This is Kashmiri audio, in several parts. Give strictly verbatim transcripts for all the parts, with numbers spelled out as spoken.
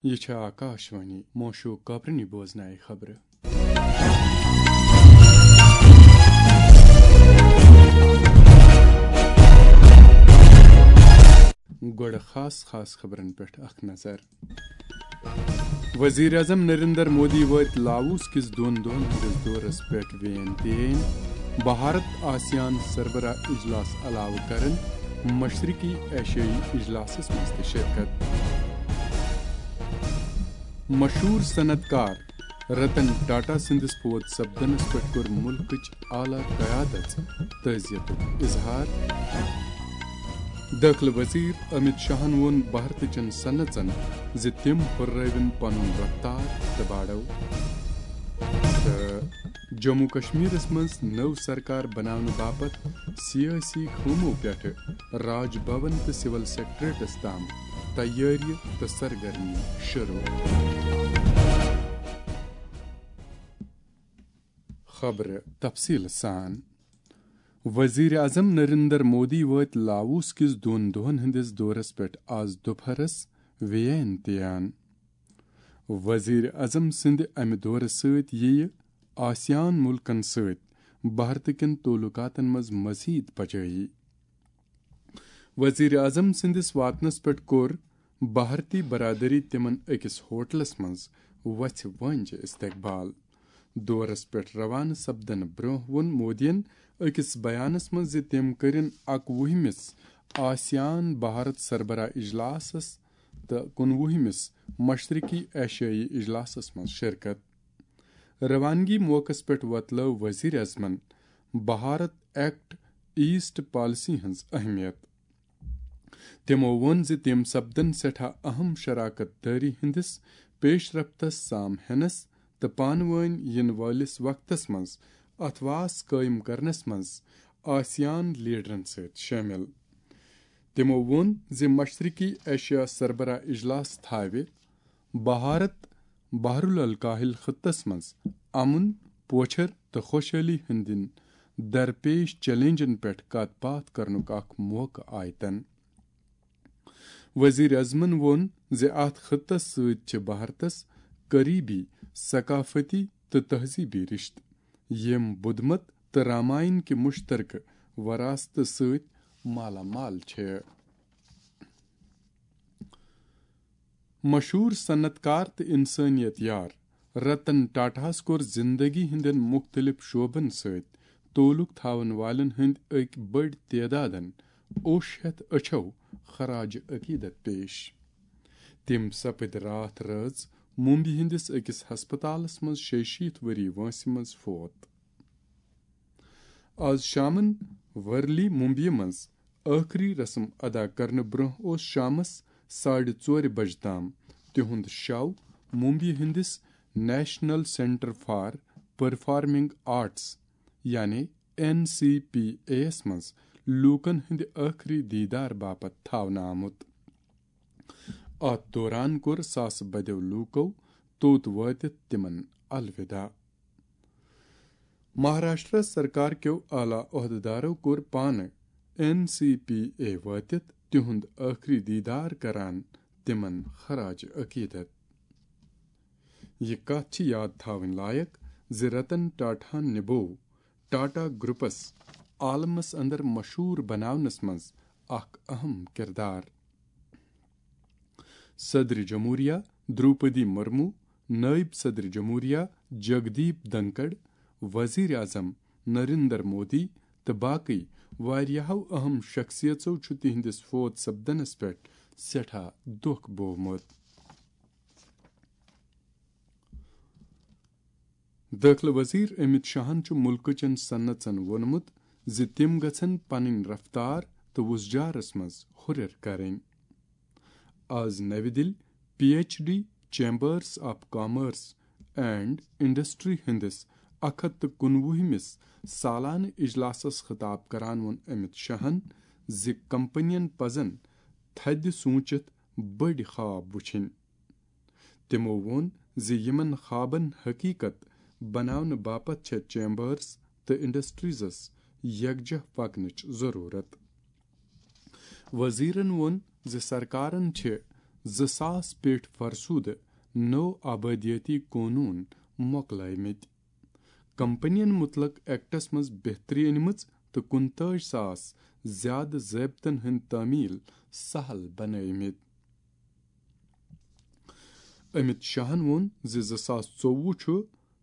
یہِ چھِ آکاشوانی موشو کابرنی بوزنایہِ خبرٕ۔ گۄڈٕ خاص خاص خبرن پٮ۪ٹھ اکھ نظر۔ وزیر اعظم نریندر مودی وٲتۍ لاووس کِس دۄن دۄہن ہٕنٛدِس دورس پٮ۪ٹھ ویتنام۔ بھارت آسیان سربراہ اجلاس علاوٕ کرن مشرقی ایشیائی اجلاسس منٛز تہِ شرکت۔ مشہوٗر صنعت کار رتن ٹاٹا سٕنٛدِس فوت سپدنس پٮ۪ٹھ کوٚر مُلکٕچ اعلیٰ قیادت تعزیتُک اظہار۔ دٲخلہٕ وزیر امت شاہن ووٚن بھارتٕچن صنعژن زِ تِم ہُررٲوِن پنُن رفتار تہٕ باڑو۔ تہٕ جموں کشمیرس منٛز نٔو سرکار بناونہٕ باپتھ سیٲسی خٲمو پٮ۪ٹھٕ راج بھون تہٕ سول سیکرٹریٹس تام تیٲرِ تہٕ سرگرمی شروع۔ خبرٕ تفصیٖل سان۔ وزیر اعظم نریندر مودی وٲتۍ لاووس کِس دۄن دۄہن ہٕنٛدِس دورس پٮ۪ٹھ آز دُپہرس ویتنام۔ وزیر اعظم سٕنٛدِ امہِ دورٕ سۭتۍ یِیہِ آسیان مُلکن سۭتۍ بھارتہٕ کٮ۪ن تعلقاتن منٛز مزید پجٲیی۔ وزیر اعظم سٕنٛدِس واتنس پٮ۪ٹھ کوٚر بھارتی برادری تِمن أکِس ہوٹلس منٛز وژھِ وٲنٛجہِ استقبال۔ دورس پٮ۪ٹھ روانہٕ سپدنہٕ برٛونٛہہ ووٚن مودیَن أکِس بیانس منٛز زِ تِم کٔرِن اَکوُہمِس آسیان بھارت سربراہ اجلاسس تہٕ کُنوُہمِس مشرقی ایشیائی اجلاسس منٛز شرکت۔ روانگی موقعس پٮ۪ٹھ وۄتلٲو وزیر اعظمن بھارت ایکٹ ایسٹ پالیسی ہٕنٛز اہمیت۔ تِمو ووٚن زِ تِم سپدن سٮ۪ٹھاہ اہم شراکت دٲری ہٕنٛدِس پیش رفتس سام ہینس تہٕ پانہٕ وٲنۍ یِنہٕ وٲلِس وقتس منٛز اتھواس قٲیِم کرنس منٛز آسیان لیڈرن سۭتۍ شٲمِل۔ تِمو ووٚن زِ مشرقی ایشیا سربراہ اجلاس تھاوِ بھارت بحر الکاہل خطس منٛز امن، پوچھر تہٕ خوشحٲلی ہٕنٛدٮ۪ن درپیش چیلنجن پٮ۪ٹھ کتھ باتھ کرنُک اکھ موقعہٕ آیتن۔ وزیر اعظمن ووٚن زِ اتھ خطس سۭتۍ چھِ بھارتس قریبی ثقافتی تہٕ تہذیبی رشتہٕ، یِم بدھ مت تہٕ راماین کہِ مشترکہٕ وراثتہٕ سۭتۍ مالا مال چھِ۔ مشہوٗر صنعت کار تہٕ انسٲنیت یار رتن ٹاٹاہس کوٚر زندگی ہٕنٛدٮ۪ن مُختٔلِف شعبن سۭتۍ تعلق تھاون والٮ۪ن ہٕنٛدۍ أکۍ بٔڑۍ تعدادن اوٚش ہٮ۪تھ أچھو خراج عقیدت پیش۔ تِم سپٕدۍ راتھ رٲژ ممبئی ہٕنٛدِس أکِس ہسپتالس منٛز شیٚیہِ شیٖتھ ؤری وٲنٛسہِ منٛز فوت۔ آز شامن ورلی ممبئی منٛز ٲخری رسم ادا کرنہٕ برٛونٛہہ اوس شامس ساڑِ ژورِ بجہِ تام تِہُنٛد شو ممبئی ہٕنٛدِس national centre for performing arts, یعنی این سی پی اے یَس منٛز لوٗکن ہٕنٛدِ ٲخری دیدار باپتھ تھاونہٕ آمُت۔ اتھ دوران کوٚر ساسہٕ بدیو لوٗکو توٚت وٲتِتھ تِمن الوداع۔ مہاراشٹر سرکار کیو اعلیٰ عہدٕدارو کوٚر پانہٕ این سی پی اے وٲتِتھ تِہُنٛد ٲخری دیدار کران تِمن خراج عقیدت۔ یہِ کتھ چھِ یاد تھاوٕنۍ لایق زِ رتن ٹاٹاہن نِبوو ٹاٹا گروپس عالمس اندر مشہوٗر بناونس منٛز اکھ اہم کردار۔ صدر جمہوریہ دروپدی مرمو، نائب صدر جمہوریہ جگدیپ دھنکڑ، وزیر اعظم نریندر مودی تہٕ باقٕے واریاہو اہم شخصیژو چھُ تِہنٛدِس فوت سپدنس پٮ۪ٹھ سٮ۪ٹھاہ دۄکھ بوومُت۔ دٲخلہٕ وزیر امت شاہن چھُ مُلکٕچن صنعژن ووٚنمُت زِ تِم گژھن پنٕنۍ رفتار تہٕ وُزجارس منٛز ہُرٮ۪ر کرٕنۍ۔ آز نَوِ دِلہِ P H D, Chambers of Commerce and Industry ہٕنٛدِس اکھ ہتھ تہٕ کُنوُہمِس سالانہٕ اجلاسس خطاب کران ووٚن امت شاہن زِ کمپنین پزن تھدِ سوٗنچِتھ بٔڑۍ خواب وُچھِنۍ۔ تِمو ووٚن زِ یِمن خوابن حقیقت بناونہٕ باپتھ چھےٚ چیمبرز تہٕ انڈسٹریزس یکجاہ پکنٕچ ضروٗرت۔ وزیرن ووٚن زِ سرکارن چھِ زٕ ساس پیٹھ فرسودٕ نوٚو آبٲدیٲتی قونوٗن مۄکلٲومٕتۍ۔ کمپنین متعلق ایکٹس منٛز بہتری أنمٕژ تہٕ کُنتٲجۍ ساس زیادٕ ضٲبطن ہٕنٛدۍ تعمیل سہل بنٲومٕتۍ۔ امت شاہن ووٚن زِ زٕ ساس ژوٚوُہ چھُ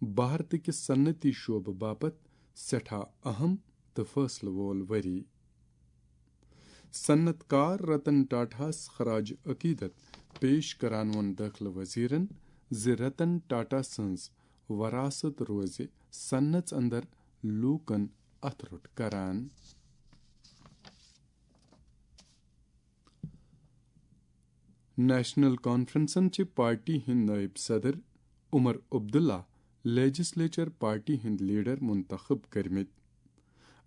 بھارتہٕ کِس صنعتی شعبہٕ باپتھ سٮ۪ٹھاہ اہم تہٕ فٲصلہٕ وول ؤری۔ صنعت کار رتن ٹاٹاہس خراج عقیدت پیش کران ووٚن دٲخلہٕ وزیرن زِ رتن ٹاٹا سٕنٛز وراثت روزِ صنعتس اندر لوٗکن اتھٕ روٚٹ کران۔ نیشنل کانفرنسن چھِ پارٹی ہٕنٛدۍ نٲیِب صدر عمر عبداللہ لیجسلیچر پارٹی ہٕنٛدۍ لیڈر منتخب کٔرمٕتۍ۔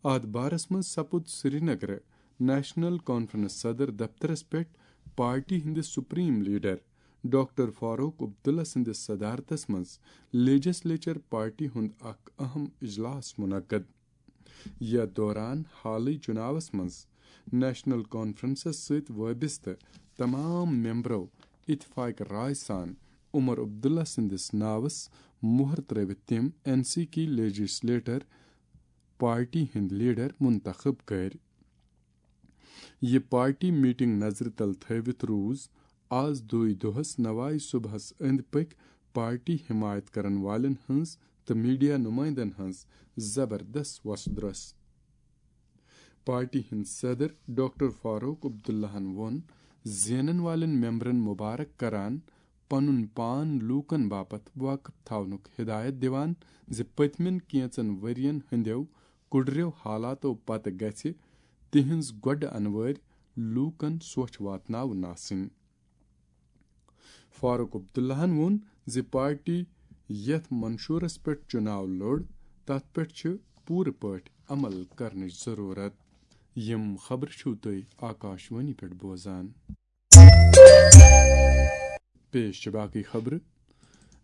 اتھ بارس منٛز سپُد سرینگرٕ نیشنل کانفرنس صدر دفترس پٮ۪ٹھ پارٹی ہٕنٛدِس supreme leader doctor Farooq Abdullah سٕنٛدِس صدارتس منٛز لیجسلیچر پارٹی ہُنٛد اکھ اہم اجلاس منعقد۔ یتھ دوران حالٕے چُناوس منٛز نیشنل کانفرنسس سۭتۍ وابستہٕ تمام ممبرو اتفاق رائے سان عمر عبداللہ سٕنٛدِس ناوس مۄہر ترٲوِتھ تِم این سی کی لیجسلیٹر پارٹی ہٕنٛدۍ لیڈر منتخب کٔرۍ۔ یہِ پارٹی میٹنگ نظرِ تل تھٲوِتھ روٗز آز دوٚے دۄہس نوائے صبحس أنٛدۍ پٔکۍ پارٹی حمایت کرن والٮ۪ن ہٕنٛز تہٕ میڈیا نمائندن ہٕنٛز زبردست وۄسہٕ درۄس۔ پارٹی ہٕنٛدۍ صدر ڈاکٹر فاروق عبداللہن ووٚن زینن والٮ۪ن ممبرن مبارک کران پنُن پان لوٗکن باپتھ واقف تھاونُک ہدایت دِوان زِ پٔتمٮ۪ن کینژن ؤرین ہٕنٛدٮ۪و کُڑریو حالاتو پتہٕ گژھِ تِہنٛز گۄڈٕ انوٲرۍ لوٗکن سوچھ واتناوُن آسٕنۍ۔ فاروق عبداللہن ووٚن زِ پارٹی یتھ منشورس پٮ۪ٹھ چُناو لوٚڑ، تتھ پٮ۪ٹھ چھِ پوٗرٕ پٲٹھۍ عمل کرنٕچ ضروٗرت۔ یِم خبرٕ چھِو تُہۍ آکاشوانی پٮ۪ٹھ بوزان۔ پیش چھِ باقٕے خبرٕ۔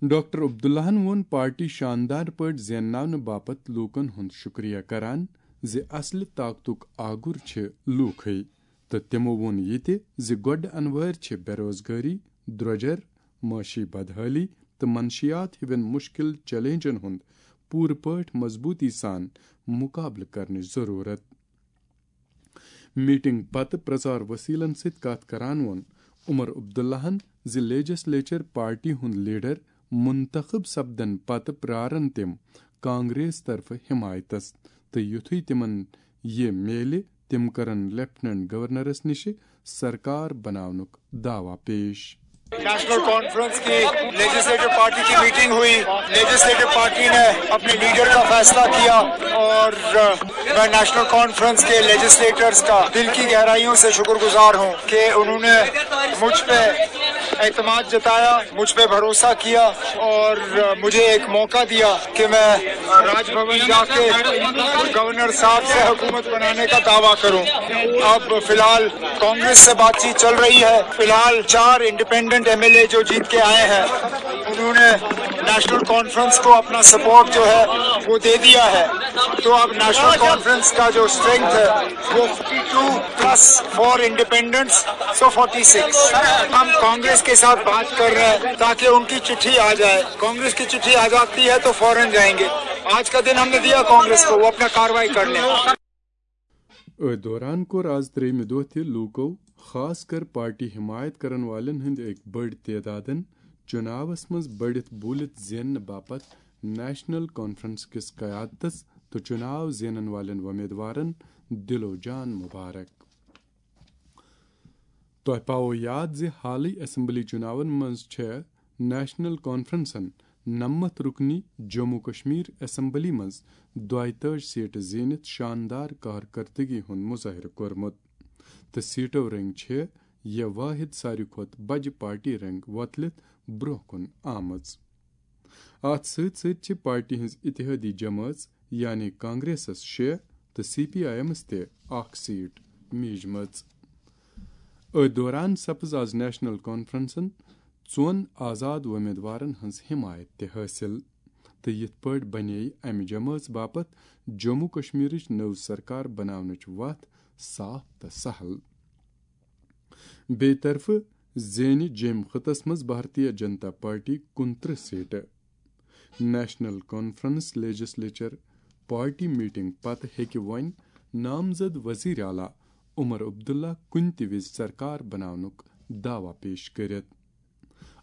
ڈاکٹر عبداللہن ووٚن پارٹی شاندار پٲٹھۍ زینناونہٕ باپتھ لوٗکن ہُنٛد شُکریہ کران زِ اصلہِ طاقتُک آگُر چھِ لوٗکھٕے۔ تہٕ تِمو ووٚن یہِ تہِ زِ گۄڈٕ انوٲرۍ چھِ بے روزگٲری، درٛۄجر، معاشی بدحٲلی تہٕ منشیات ہِوٮ۪ن مُشکِل چیلنجن ہُنٛد پوٗرٕ پٲٹھۍ مضبوٗطی سان مُقابلہٕ کرنٕچ ضروٗرت۔ میٹنگ پتہٕ پرچار وسیلن سۭتۍ کتھ کران ووٚن عمر عبداللہن زِ لیجسلیچر پارٹی ہُنٛد لیڈر منتخب سپدن پتہٕ پرارن تِم کانگریس طرفہٕ حمایتس تہٕ یُتھُے تِمن یہِ میلہِ، تِم کرن لیفٹیننٹ گورنرس نِشہِ سرکار بناونُک دعویٰ پیش۔ نیشنل کانفرنس کی لیجسلیٹو پارٹی کی میٹنگ ہوئی۔ لیجسلیٹو پارٹی نے اپنے لیڈر کا فیصلہ کیا اور میں نیشنل کانفرنس کے لیجسلیٹرز کا دل کی گہرائیوں سے شکر گزار ہوں کہ انہوں نے مجھ پہ اعتماد جتایا، مجھ پہ بھروسہ کیا اور مجھے ایک موقع دیا کہ میں راج بھون جا کے گورنر صاحب سے حکومت بنانے کا دعویٰ کروں۔ اب فی الحال کانگریس سے بات چیت چل رہی ہے۔ فی الحال چار انڈیپینڈنٹ ایم ایل اے جو جیت کے آئے ہیں، انہوں نے نیشنل کانفرنس کو اپنا سپورٹ جو ہے وہ دے دیا ہے۔ تو اب نیشنل کانفرنس کا جو اسٹرینتھ ہے وہ forty two plus four independents, so forty six. ہم کانگریس کے ساتھ بات کر رہے ہیں تاکہ ان کی چٹھی آ جائے۔ کانگریس کی چٹھی آ جاتی ہے تو فوراً جائیں گے۔ آج کا دن ہم نے دیا کانگریس کو، وہ اپنا کاروائی کر لیں۔ أتھۍ دوران کوٚر آز ترٛیٚیمہِ دۄہ تہِ لوٗکو، خاص کر پارٹی حمایت کرن والٮ۪ن ہٕنٛدۍ أکۍ بٔڑۍ تعدادن چُناوس منٛز بٔڑِتھ بوٗلِتھ زیننہٕ باپتھ نیشنل کانفرنس کِس قیادتس تہٕ چُناو زینن والٮ۪ن وۄمیدوارن دِلو جان مبارک۔ تۄہہِ پاوو یاد زِ حالٕے اسمبلی چُناون منٛز چھےٚ نیشنل کانفرنسن نَمَتھ رُکنی جموں کشمیر اسمبلی منٛز دۄیتٲجۍ سیٹہٕ زیٖنِتھ شاندار کارکردگی ہُنٛد مظٲہرٕ کوٚرمُت تہٕ سیٹو رٔنٛگۍ چھِ یہِ وٲحد ساروی کھۄتہٕ بجہِ پارٹی رٔنٛگۍ وۄتلِتھ برٛونٛہہ کُن آمٕژ۔ اتھ سۭتۍ سۭتۍ چھِ پارٹی ہٕنٛز اتحادی جمٲژ یعنی کانگریسس شےٚ تہٕ سی پی آئی ایمس تہِ اکھ سیٹ میجمٕژ۔ أتھۍ دوران سپٕز آز نیشنل کانفرنسن ژۄن آزاد وۄمیدوارن ہٕنٛز حمایت تہِ حٲصِل تہٕ یِتھ پٲٹھۍ بنے امہِ جمٲژ باپتھ جموں کشمیرٕچ نٔو سرکار بناونٕچ وتھ صاف تہٕ سہل۔ بیٚیہِ طرفہٕ زینہِ جیٚمۍ خٕطس منٛز بھارتیہ جنتا پارٹی کُنترٕہ سیٹہٕ۔ National conference legislature party meeting پتہٕ ہیٚکہِ وۄنۍ نامزد وزیر اعلیٰ عمر عبداللہ کُنہِ تہِ وِزِ سرکار بناونُک دعویٰ پیش کٔرِتھ۔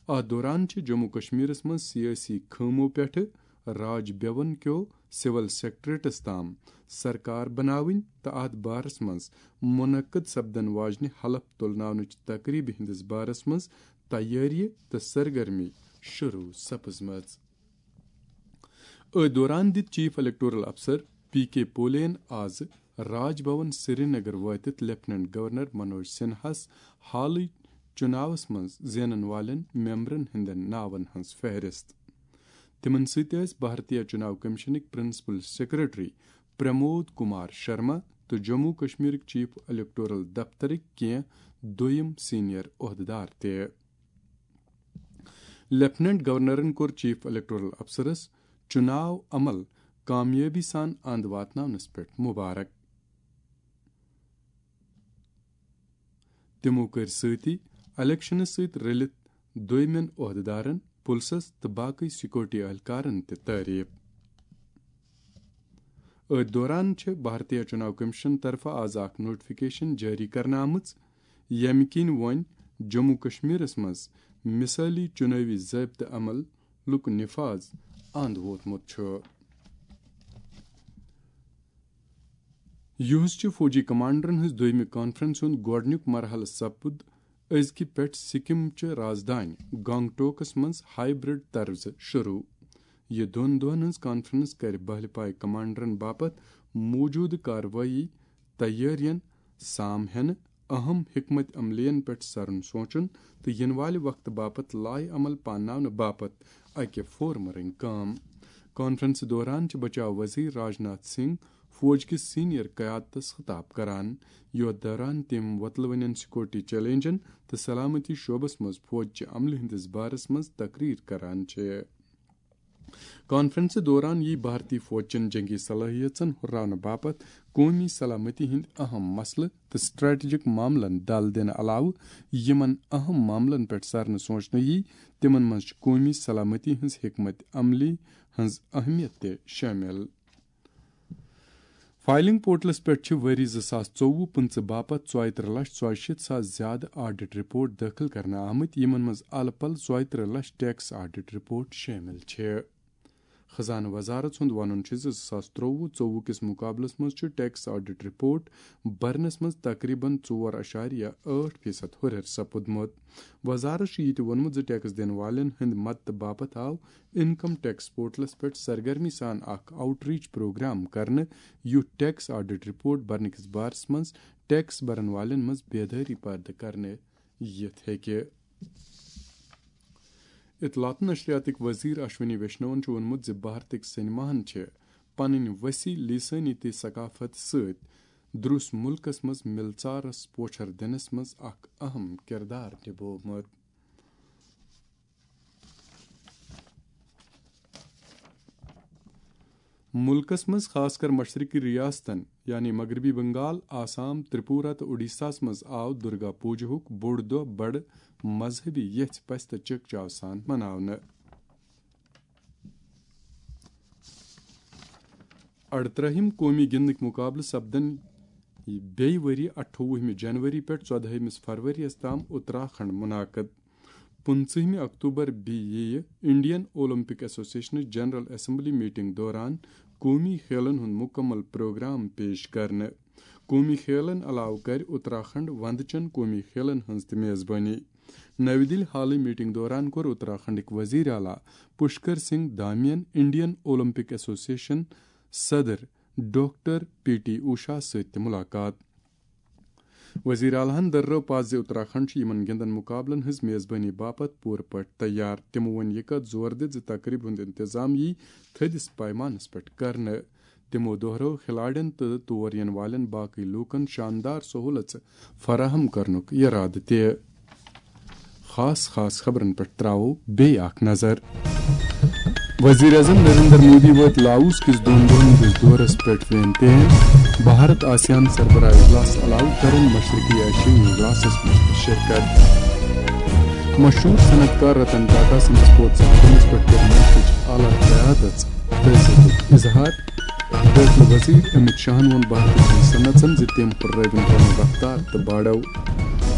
اتھ دوران چھِ جموں کشمیرس منٛز سیٲسی خٲمو پٮ۪ٹھٕ راج بھون کیو سول سیکرٹریٹس تام سرکار بناوٕنۍ تہٕ اتھ بارس منٛز منعقد سپدن واجنہِ حلف تُلناونٕچ تقریبہِ ہٕنٛدِس بارس منٛز تیٲری تہٕ سرگرمی شروع سپٕزمٕژ۔ أتھۍ دوران دِتۍ چیف الیکٹورل افسر پی کے پولین آز راج بھون سرینگر وٲتِتھ لیفٹیننٹ گورنر منوج سنہاہس حالٕے چُناوس منٛز زینن والٮ۪ن ممبرن ہٕنٛدٮ۪ن ناون ہٕنٛز فہرست۔ تِمن سۭتۍ ٲسۍ بھارتیہ چُناو کمیشنٕکۍ پرنسپل سیکرٹری پرمود کمار شرما تہٕ جموں کشمیرٕکۍ چیف الیکٹورل دفترٕکۍ کینٛہہ دوٚیِم سینئر عہدٕدار تہِ۔ لیفٹیننٹ گورنرن کوٚر چیف الیکٹورل افسرس چُناو عمل کامیٲبی سان اند واتناونس پٮ۪ٹھ مبارک۔ تِمو کٔرۍ سۭتی الیکشنس سۭتۍ رٔلِتھ دوٚیمٮ۪ن عہدٕدارن، پُلسس تہٕ باقٕے سیکورٹی اہلکارن تہِ تعریف۔ أتھۍ دوران چھِ بھارتیہ چُناو کمیشن طرفہٕ آز اکھ نوٹیفکیشن جٲری کرنہٕ آمٕژ، ییٚمہِ کِنۍ وۄنۍ جموں کشمیرس منٛز مثٲلی چُنٲوی ضٲبطہٕ عملُک نفاذ اند ووتمُت چھُ۔ یُہُس چہِ فوجی کمانڈرن ہٕنٛز دوٚیمہِ کانفرنسہِ ہُنٛد گۄڈٕنیُک مرحلہٕ سپُد أزکہِ پٮ۪ٹھ سکم چہِ رازدانہِ گنگٹوکس منٛز ہائیبرڈ طرزٕ شروع۔ یہِ دۄن دۄہن ہٕنٛز کانفرنس کرِ بہلہِ پایہِ کمانڈرن باپتھ موجودٕ کاروٲیی تیٲرین سام ہینہٕ، اہم حکمت عملین پٮ۪ٹھ سرُن سونچُن تہٕ یِنہٕ والہِ وقتہٕ باپتھ لائحہ عمل پانناونہٕ باپتھ اکہِ فورمہٕ رٔنگۍ کٲم۔ کانفرنسہِ دوران چھِ بچاو وزیر راجناتھ سنگھ فوج کِس سینئر قیادتس خطاب کران، یتھ دوران تِم وۄتلوٕنٮ۪ن سیکورٹی چیلنجن تہٕ سلامتی شعبس منٛز فوج چہِ عملہِ ہٕنٛدِس بارس منٛز تقریر کران چھِ۔ کانفرنسہِ دوران یی بھارتی فوج چٮ۪ن جنگی صلٲحیژن ہُراونہٕ باپتھ قومی سلامتی ہٕنٛدۍ اہم مسلہٕ تہٕ سٹریٹجک معاملن دل دِنہٕ علاوٕ یِمن اہم معاملن پٮ۪ٹھ سرنہٕ سونچنہٕ یی، تِمن منٛز چھِ قومی سلامتی ہٕنٛز حکمت عملی ہٕنٛز اہمیت تہِ شٲمِل۔ فائلنگ پورٹلس پٮ۪ٹھ چھِ ؤری زٕ ساس ژوٚوُہ پٕنٛژٕہ باپتھ ژۄیہِ ترٕہ لچھ ژۄیہِ شیٖتھ ساس زیادٕ آڈٹ رپورٹ دٲخل کرنہٕ آمٕتۍ، یِمن منٛز الہٕ پلہٕ ژۄیہِ ترٕہ لچھ ٹیکس آڈٹ رپورٹ شٲمِل چھِ۔ خزانہٕ وزارت سُنٛد وَنُن چھُ زِ زٕ ساس ترٛوٚوُہ ژوٚوُہ کِس مُقابلَس منٛز چھُ ٹیکس آڈٹ رپورٹ بھرنَس منٛز تقریباً ژور اَشاریہ ٲٹھ فیصد ہُرٮ۪ر سپُدمُت۔ وزارت چھُ یہِ تہِ ووٚنمُت زِ ٹیکس دِنہٕ والٮ۪ن ہٕنٛدِ مدتہٕ باپتھ آو انکم ٹیکس پورٹلَس پٮ۪ٹھ سرگرمی سان اکھ آؤٹ ریچ پروگرام کرنہٕ، یُتھ ٹیکس آڈٹ رپورٹ بھرنہٕ کِس بارَس منٛز ٹیکس بھرن والٮ۪ن منٛز بیدٲری پٲدٕ کرنہٕ یِتھ ہیٚکہِ۔ اطلاعات و نشریاتٕکۍ وزیر اشونی ویشنون چھُ ووٚنمُت زِ بھارتٕکۍ سینماہن چھِ پنٕنۍ وسیع لسٲنی تہٕ ثقافت سۭتۍ دروس ملکس منٛز ملژارس پوچھر دِنس منٛز اکھ اہم کردار نبوومُت۔ مُلکَس منٛز خاص کر مشرقی ریاستن یعنی مغربی بنگال، آسام، ترپورہ تہٕ اوڈیشاہَس منٛز آو درگا پوجاہُک بوٚڑ دۄہ بڑٕ مذہبی یژھِ پژھِ تہٕ چکچاو سان مناونہٕ۔ اَرترٛہِم قومی گِنٛدنٕکۍ مُقابلہٕ سپدن بیٚیہِ ؤری اَٹھووُہمہِ جنوری پٮ۪ٹھ ژۄدہٲیمِس فروریَس تام اتراکھنڈ منعقد۔ پٕنٛژٕہمہِ اکتوبر بیٚیہِ یِیہِ انڈین اولمپک ایسوسیشنٕچ جنرل اسمبلی میٹنگ دوران قومی کھیلن ہُنٛد مُکمل پروگرام پیش کرنہٕ۔ قومی کھیلن علاوٕ کرِ اتراکھنڈ وندٕ چٮ۪ن قومی کھیلن ہٕنٛز تہِ میزبٲنی۔ نَوِ دِلہِ حالٕے میٹنگ دوران کوٚر اتراکھنڈٕکۍ وزیر اعلیٰ پشکر سنگھ دھامین انڈین اولمپک ایسوسیشن صدر ڈاکٹر پی ٹی اوشا سۭتۍ تہِ مُلاقات۔ وزیر اعلیٰ ہَن دٔرٲو پَتھ زِ اتراکھنڈ چھُ یِمَن گِنٛدَن مُقابلَن ہٕنٛز میزبٲنی باپتھ پوٗرٕ پٲٹھۍ تیار۔ تِمَو ووٚن یہِ کَتھ زور دِتھ زِ تقریٖب ہُنٛد انتظام یِیہِ تھٔدِس پیمانَس پٮ۪ٹھ کرنہٕ۔ تِمَو دۄہرٲو کھلاڑٮ۪ن تہٕ تور یِنہٕ والٮ۪ن باقٕے لوٗکَن شاندار سہوٗلژٕ فراہم کرنُک اِرادٕ تہِ۔ خاص خاص خبرن پٮ۪ٹھ تراوو بیٚیہِ اکھ نظر۔ وزیر اعظم نریندر مودی وٲتۍ لاوس کِس دۄن دۄہن ہٕنٛدِس دورس پٮ۪ٹھ وین تین۔ بھارت آسیان سربراہ اجلاس علاوٕ کرن مشرقی ایشیائی اجلاسس منٛز تہِ شرکت۔ مشہوٗر صنعت کار رتن ٹاٹا سٕنٛدِس فوت سپدنس پٮ۪ٹھ کٔر مُلکٕچ اعلیٰ قیادژ تعزیتُک اظہار۔ دٲخلہٕ وزیر امت شاہن ووٚن بھارتی صنعژن زِ تِم ہُررٲوِن پنُن رفتار تہٕ بڑاو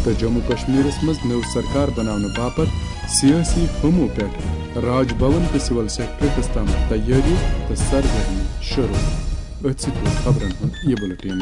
تہٕ جموں کشمیرس منٛز نٔو سرکار بناونہٕ باپتھ سیٲسی ہُمو پٮ۪ٹھ راج بھون تہٕ سول سیکرٹریٹس تام تیٲری تہٕ سرگرمی شروع۔ أتھۍ سۭتۍ ووت خبرن ہُنٛد یہِ بُلٹین۔